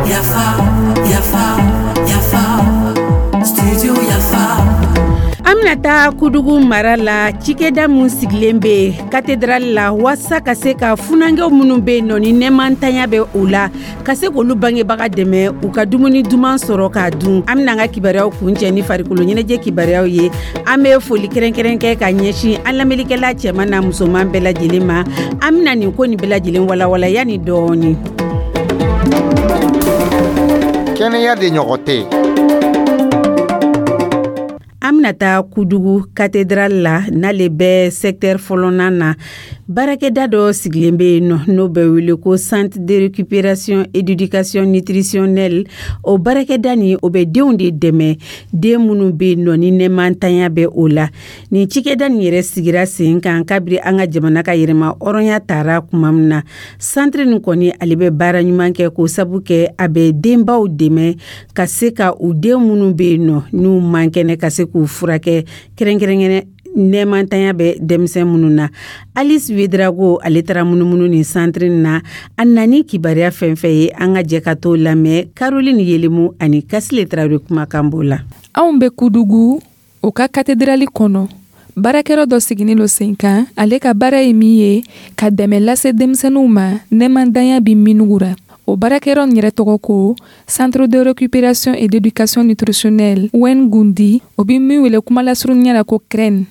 Yafa, yafa, yafa, studio Yafa. An bɛna taa Kudugu mara la, cikɛda min sigilen bɛ cathédrale la walasa ka se ka funankɛw minnu bɛ yen nɔ ni nɛmantanya bɛ u la, ka se k'olu bangebaga dɛmɛ u ka dumuni duman sɔrɔ k'a dun. An bɛna an ka kibaruyaw kuncɛ ni farikolo ɲɛnajɛ kibaruyaw ye. An bɛ foli kɛrɛnkɛrɛn kɛ ka ɲɛsin an lamɛnnikɛla cɛman n'a musoman bɛɛ lajɛlen ma. An bɛna nin ko nin bɛɛ lajɛlen walawala yanni dɔɔni. Kɛnɛya de ɲɔgɔn tɛ yen. An bɛna taa Kudugu cathédrale la, n'ale bɛ secteur fɔlɔnan na. Baarakɛda dɔ sigilen bɛ yen nɔ, n'o bɛ wele ko Centre de récupération éducation nutritionnelle. O baarakɛda nin, o bɛ denw de dɛmɛ, den minnu bɛ yen nɔ ni nɛmantanya bɛ o la. Nin cikɛda nin yɛrɛ sigira sen kan kabiri an ka jamana ka yɛrɛma hɔrɔnya tara tuma min na. Centre nin kɔni, ale bɛ baara ɲuman kɛ, k'o sabu kɛ a bɛ denbaw dɛmɛ ka se ka u den minnu bɛ yen nɔ n'u man kɛnɛ, ka se k'u furakɛ, kɛrɛnkɛrɛnkɛrɛn nɛmantanya bɛ denmisɛn minnu na. Alice Wedrago, ale taara munumunu nin centre na. A nani kibaruya fɛn fɛn ye, an ka jɛ ka t'o lamɛn Caroline Yelemu ani Kasile Tarawele kumakan b'o la. Anw bɛ Kudugu o ka cathédrale kɔnɔ. Baarakɛyɔrɔ dɔ sigilen don sen kan. Ale ka baara ye min ye, ka dɛmɛ lase denmisɛnninw ma nɛmantanya bɛ minnu ra. O baarakɛyɔrɔ nin yɛrɛ tɔgɔ ko Centre de récupération et d'éducation nutritionnelle Wen Gundi, o bɛ min wele kuma lasurunya la ko CREN.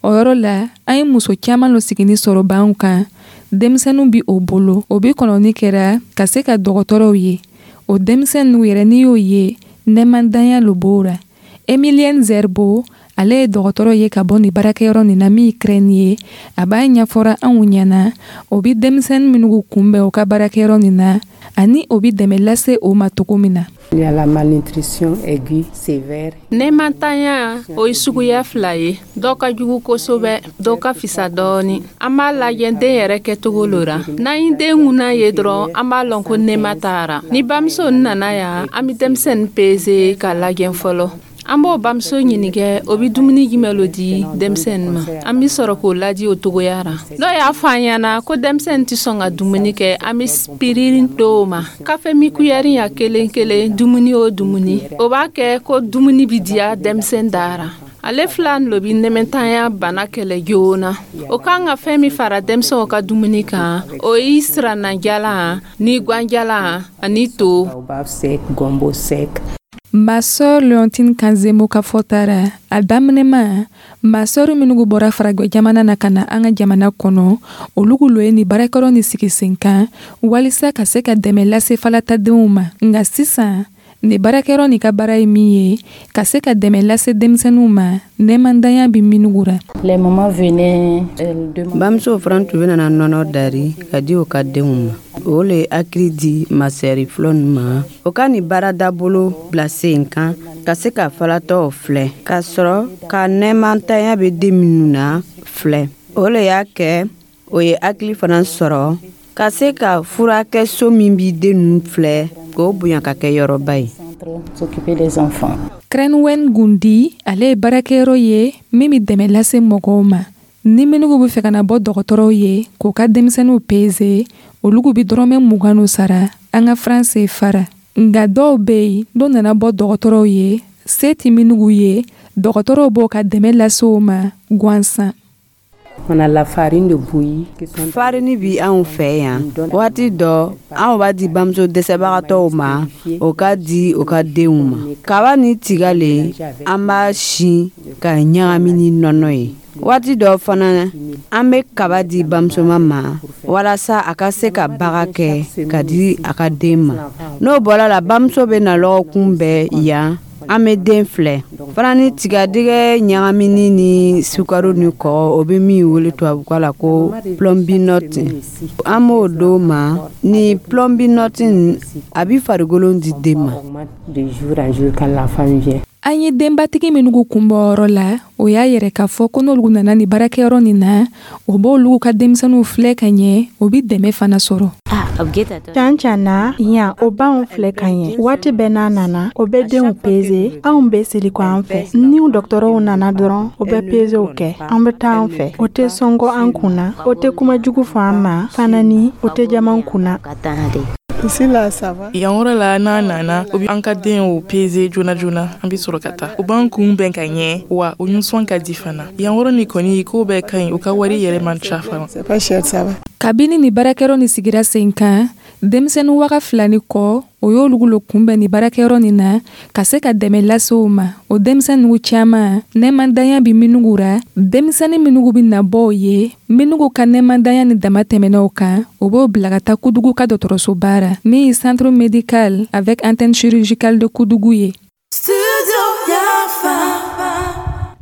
O yɔrɔ la, an ye muso caman lo sigini sɔrɔ banw kan. Denmisɛnninw bi o bolo, o bi kɔnɔni kɛra ka se ka dɔgɔtɔrɔw ye. O denmisɛnninw yɛrɛ, n'i y'o ye, nɛmantanya lo b'o ra. Emilienne Zerbo, ale ye dɔgɔtɔrɔ ye ka bɔ nin baarakɛyɔrɔ nin na min ye CREN ye. A b'a ɲɛfɔra anw ɲɛna o bi denmisɛnnin minnu kunbɛn o ka baarakɛyɔrɔ nin na, ani o bi dɛmɛ lase o ma cogo min na. Il y a la malnutrition aiguë sévère. Nɛmantanya, o ye suguya fila ye. Dɔ ka jugu kosɛbɛ, dɔ ka fisa dɔɔni. An b'a lajɛ den yɛrɛ kɛcogo lo ra. N'an ye den ŋuna ye dɔrɔn, an b'a lɔn ko nɛma taara. Ni bamuso nana yan, an bɛ denmisɛnnin peze k'a lajɛ fɔlɔ. An b'o bamuso ɲininka o bɛ dumuni jumɛn lo di denmisɛnnin ma. An bɛ sɔrɔ k'o ladi o togoya ra. N'o y'a fɔ an ɲɛna ko denmisɛnnin tɛ sɔn ka dumuni kɛ, an bɛ spirin d'o ma, kafe mi kuyɛri ya kelen kelen, dumuni o dumuni. O b'a kɛ ko dumuni bɛ diya denmisɛn dara. Ale fila lo bɛ nɛmɛntanya bana kɛlɛ joona. O kan ka fɛn min fara denmisɛnw ka dumuni kan, o ye sirannajalan ni ganjalan ani to. Baobab sec, gombo sec. Ma sœur Leontine Kanzemo ka fɔta ra, a daminɛma, masɔrɔ minnu bɔra farajɛ jamana na ka na an ka jamana kɔnɔ, olu lo ye nin baarakɛyɔrɔ nin sigi sen kan walisa ka se ka dɛmɛ lase falatadenw ma. Nka sisan, nin baarakɛyɔrɔ nin ka baara ye min ye, ka se ka dɛmɛ lase denmisɛnninw ma nɛmantanya bɛ minnu ra. Les mamans venaient, elles demandaient. Bamusow fana tun bɛ nana nɔnɔ dari ka di u ka denw ma. O le ye hakili di masɛri fɔlɔ ninnu ma, o ka nin baara dabolo bila sen kan ka se ka falatɔw filɛ, ka sɔrɔ ka nɛmantanya bɛ den minnu na filɛ. O le y'a kɛ o ye hakili fana sɔrɔ ka se ka furakɛso min bi den ninnu filɛ, k'o bonya ka kɛ yɔrɔba ye. S'occuper des enfants. CRENWEN Gundi, ale ye baarakɛyɔrɔ ye min bɛ dɛmɛ lase mɔgɔw ma. Ni minnu bɛ fɛ ka na bɔ dɔgɔtɔrɔw ye k'u ka denmisɛnninw peze, olu bɛ dɔrɔmɛ 20 sara an ka franc CFA ra. Nka dɔw bɛ yen, n'o nana bɔ dɔgɔtɔrɔw ye, se tɛ minnu ye, dɔgɔtɔrɔw b'o ka dɛmɛ lase o ma gansan. On a la farine de bouillie qui sont Farini bi anw fɛ yan. Waati dɔ, anw b'a di bamuso dɛsɛbagatɔw ma, o ka di u ka denw ma. Kaba ni tiga le, an b'a sin ka ɲagami ni nɔnɔ ye. Waati dɔ fana, an bɛ kaba di bamusoma ma walasa a ka se ka baga kɛ ka di a ka den ma. N'o bɔra la, bamuso bɛ na lɔgɔkun bɛɛ yan, an bɛ den filɛ fana ni tigadɛgɛ ɲagamini ni sukaro ni kɔgɔ, o bɛ min wele tubabukan la ko Plumpy'Nut. An b'o d'o ma. Ni Plumpy'Nut, a bɛ farikolo di den ma. De jour en jour quand l'enfant vient. An ye denbatigi minnu kunbɔ yɔrɔ la, o y'a yɛrɛ k'a fɔ ko n'olu nana ni baarakɛyɔrɔ nin na, o b'olu ka denmisɛnninw filɛ ka ɲɛ, o bi dɛmɛ fana sɔrɔ. Can can na yan, o b'anw filɛ ka ɲɛ. Waati bɛɛ n'a nana, o bɛ denw peze. Anw bɛ seli kɔ an fɛ. Ni dɔgɔtɔrɔw nana dɔrɔn, o bɛ pezew kɛ, an bɛ taa an fɛ. O tɛ sɔngɔ an kunna, o tɛ kuma jugu fɔ an ma fana, ni o tɛ jama kunna. Yan yɔrɔ la, n'a nana, o bɛ an ka denw peze joona joona, an bɛ sɔrɔ ka taa. U b'an kunbɛn ka ɲɛ, wa u nisɔn ka di fana. Yan yɔrɔ nin kɔni, ko bɛɛ ka ɲi, u ka wari yɛrɛ man ca fana. Kabini ni baarakɛyɔrɔ nin sigira sen kan, denmisɛnnin 2000 ni kɔ, o y'olu lo kunbɛn ni baarakɛyɔrɔ nin na ka se ka dɛmɛ lase o ma. O denmisɛnninw caman, nɛmandanya bɛ minnu ra, denmisɛnnin minnu bɛ na bɔ o ye, minnu ka nɛmandanya ni dama tɛmɛna o kan, o b'o bila ka taa Kudugu ka dɔgɔtɔrɔsoba ra, min ye centre médical avec antenne chirurgicale de Kudugu ye.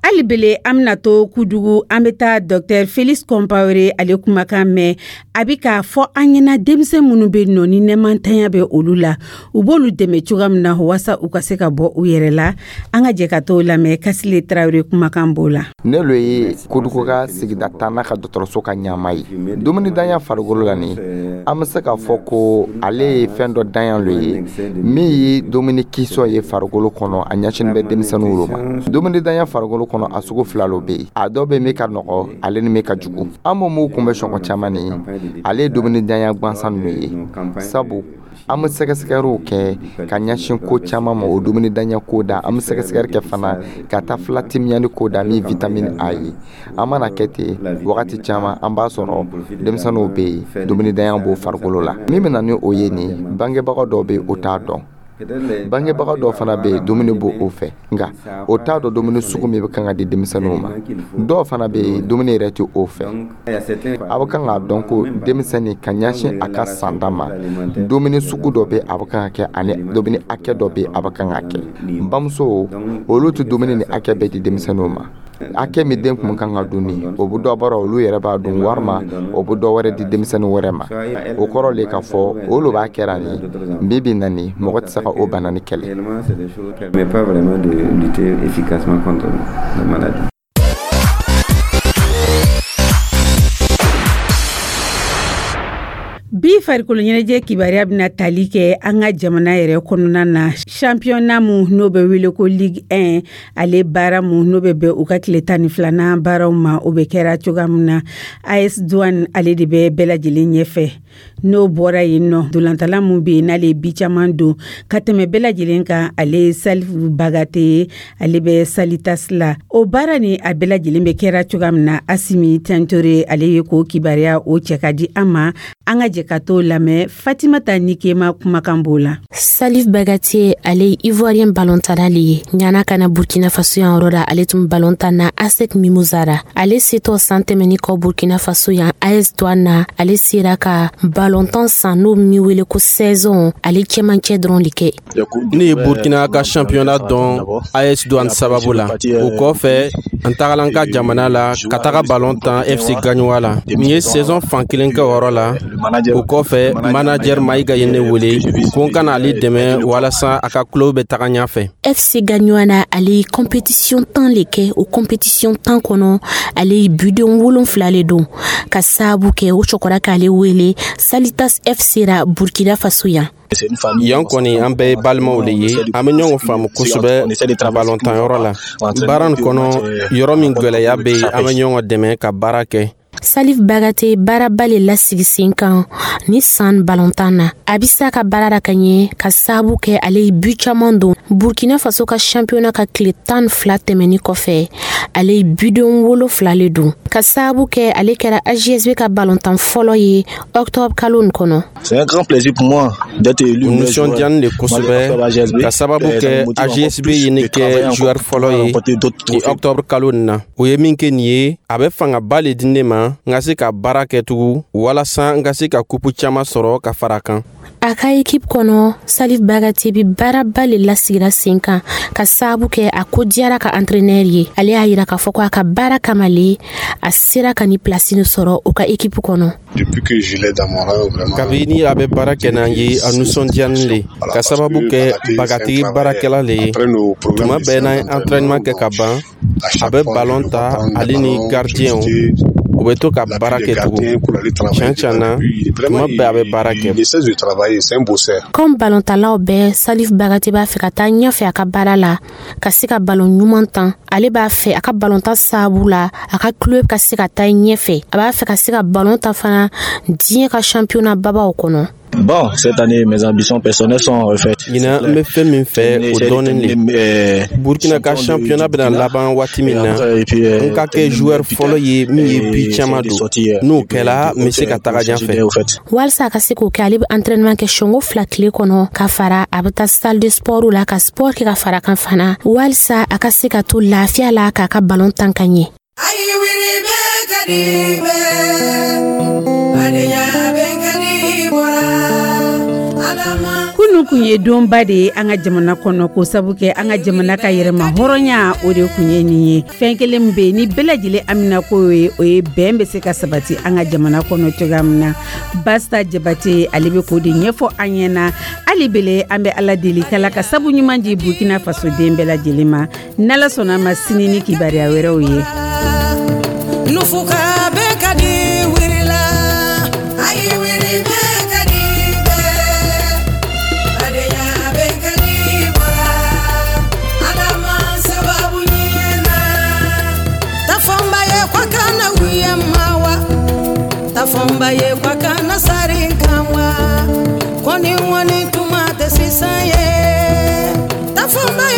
Hali bele, an bɛna to Kudugu, an bɛ taa Dr Felix Compaoré ale kumakan mɛn. A bɛ k'a fɔ an ɲɛna, denmisɛn minnu bɛ nɔ ni nɛmantanya bɛ olu la, u b'olu dɛmɛ cogoya min na walasa u ka se ka bɔ u yɛrɛ la. An ka jɛ ka t'o lamɛn, Kasile Tarawele kumakan b'o la. Ne lo ye Kodugu ka sigida tanna ka dɔgɔtɔrɔso ka ɲama ye. Dumunidanya farikolo la nin, an bɛ se k'a fɔ ko ale ye fɛn dɔ danya lo ye min ye dumuni kisɔ ye farikolo kɔnɔ, a ɲɛsinnen bɛ denmisɛnninw lo ma. Dumunidanya farikolo kɔnɔ, a sugu fila lo bɛ yen: a dɔ bɛ min ka nɔgɔ, ale ni min ka jugu. An b'o mun kunbɛ sɔngɔ caman nin, ale ye dumunidanya gansan ninnu ye, sabu an bɛ sɛgɛsɛgɛliw kɛ ka ɲɛsin ko caman ma o dumunidanya ko da. An bɛ sɛgɛsɛgɛli kɛ fana ka taa filatimiyani ko da, min vitamine A ye. An mana kɛ ten, wagati caman an b'a sɔrɔ denmisɛnninw bɛ yen, dumunidanya b'o farikolo la. Min bɛ na ni o ye nin, bangebaga dɔw bɛ yen, o t'a dɔn. Bangebaga dɔw fana bɛ yen, dumuni b'o o fɛ, nka o t'a dɔn dumuni sugu min bɛ kan ka di denmisɛnninw ma. Dɔw fana bɛ yen, dumuni yɛrɛ tɛ o fɛ. A bɛ kan k'a dɔn ko denmisɛnnin, ka ɲɛsin a ka sanda ma, dumuni sugu dɔ bɛ a bɛ kan ka kɛ, ani dumuni hakɛ dɔ bɛ a bɛ kan ka kɛ. Bamuso olu tɛ dumuni ni hakɛ bɛɛ di denmisɛnninw ma. Hakɛ min den kun kan ka dun nin, o bɛ dɔ bɔra, olu yɛrɛ b'a dun, walima o bɛ dɔ wɛrɛ di denmisɛnnin wɛrɛ ma. O kɔrɔ le k'a fɔ olu b'a kɛra nin bi bi na nin, mɔgɔ tɛ se ka o bana ni kɛlɛ. Mais pas vraiment de lutter efficacement contre la maladie. Bi farikolo ɲɛnajɛ kibaruya bɛna tali kɛ an ka jamana yɛrɛ kɔnɔna na, championnat mun n'o bɛ wele ko Ligue 1, ale baara mun n'o bɛ bɛn u ka tile 12nan baaraw ma, o bɛ kɛra cogoya min na. AS Douane, ale de bɛ bɛɛ lajɛlen ɲɛfɛ. N'o bɔra yen nɔ, dolantala mun bɛ yen n'ale ye bi caman don ka tɛmɛ bɛɛ lajɛlen kan, ale ye Salifu Bagate ye, ale bɛ Salitas la. O baara ni a bɛɛ lajɛlen bɛ kɛra cogoya min na, Asimi Tentore ale ye k'o kibaruya o cɛ ka di an ma. An ka jɛ ka t'o lamɛn, Fatimata Nikema kumakan b'o la. Salif Bagate, ale ye Ivoirien ballontanna le ye. Ɲana ka na Burkina Faso yan yɔrɔ la, ale tun ballontan na ASEC Mimosas ra. Ale setɔ san tɛmɛni kɔ Burkina Faso yan, AS Douane na, ale sera ka ballontan san n'o min wele ko saison, ale cɛmancɛ dɔrɔn de kɛ. Ne ye Burkina ka championnat dɔn AS Douane sababu la. O kɔfɛ, n tagala n ka jamana la ka taga ballon tan FC Gagnoa la. N ye saison fan kelen kɛ o yɔrɔ la. O kɔfɛ, manager Mayiga ye ne wele ko n ka na ale dɛmɛ walasa a ka club bɛ taga ɲɛfɛ. FC Gagnoa na, ale ye compétition 10 le kɛ. O compétition 10 kɔnɔ, ale ye biden 7 le don. Ka sababu kɛ o cɛkɔrɔba k'ale wele Salitas FC ra Burkina Faso yan. Yan kɔni, an bɛɛ ye balimaw de ye, an bɛ ɲɔgɔn faamu kosɛbɛ balɔntanyɔrɔ la. Baara nin kɔnɔ, yɔrɔ min gwɛlɛya bɛ yen, an bɛ ɲɔgɔn dɛmɛ ka baara kɛ. Salif Bagate baaraba le lasigi sen kan ni san balontan na. A bi se a ka baara la ka ɲɛ, ka sababu kɛ ale ye bu caman don. Burkina Faso ka championnat ka tile 12 tɛmɛni kɔfɛ, ale ye biden 7 le don. Ka sababu kɛ ale kɛra AJSB ka balontan fɔlɔ ye octobre kalo nin kɔnɔ. C'est un grand plaisir pour moi d'être élu. O nisɔndiyani de kosɛbɛ, ka sababu kɛ AJSB ye ne kɛ joueur fɔlɔ ye ni octobre kalo nin na. O ye min kɛ nin ye, a bɛ fangaba le di ne ma n ka se ka baara kɛ tugun walasa n ka se ka kupu caman sɔrɔ ka fara kan. A ka ekipe kɔnɔ, Salif Bagate bi baaraba le lasigira sen kan ka sababu kɛ a ko diyara ka entraîneur ye. Ale y'a yira k'a fɔ ko a ka baara kama le a sera ka ni pilasi nin sɔrɔ o ka ekipe kɔnɔ. Kabini a bɛ baara kɛ n'an ye, a nisɔndiyanin le ka sababu kɛ Bagatigi baarakɛla le ye. Tuma bɛɛ n'an ye entraînement kɛ ka ban, a bɛ balon ta, ale ni gardienw, u bɛ to ka baara kɛ tugun. Tiɲɛ tiɲɛ na, tuma bɛɛ a bɛ baara kɛ. Comme balontalaw bɛɛ, Salif Bagate b'a fɛ ka taa ɲɛfɛ a ka baara la, ka se ka balon ɲuman tan. Ale b'a fɛ a ka balontan sababu la, a ka club ka se ka taa ɲɛfɛ. A b'a fɛ ka se ka balon ta fana diɲɛ ka championnat babaw kɔnɔ. Bon, cette année, mes ambitions personnelles sont refaites. Ɲinan, n bɛ fɛn min fɛ, o dɔɔnin le. Burkina ka championnat bɛna laban waati min na, n ka kɛ joueur fɔlɔ ye min ye but caman don. N'o kɛla, n bɛ se ka taga ɲɛfɛ. Walisa a ka se k'o kɛ, ale bɛ entraînement kɛ siɲɛko 2 tile kɔnɔ, ka fara a bɛ taa salle de sport la ka sport kɛ ka fara kan fana, walisa a ka se ka to lafiya la k'a ka balon tan ka ɲɛ. Ayi wuli bɛ ka di bɛɛ, badenya bɛ ka di bɔra Adama. Kunu kun ye donba de ye an ka jamana kɔnɔ, ko sabu kɛ an ka jamana ka yɛrɛma hɔrɔnya, o de kun ye nin ye. Fɛn kelen min bɛ yen ni bɛɛ lajɛlen amina ko ye, o ye bɛn bɛ se ka sabati an ka jamana kɔnɔ cogoya min na. Basta Jabate, ale bɛ k'o de ɲɛfɔ an ɲɛna. Hali bele, an bɛ Ala deli k'Ala ka sabu ɲuman di Burkina Faso den bɛɛ lajɛlen ma. N'Ala sɔnna a ma, sini ni kibaruya wɛrɛw ye. Nufuka bɛ ka di wulila, ayi wuli bɛ ka di bɛɛ, badenya bɛ ka di bɔra Adama sababu ɲɛna. Tafɔnba ye kwa kana wuya ma wa, tafɔnba ye kwa kana sari kan wa, kɔni ŋɔni tuma tɛ sisan ye, tafɔnba ye.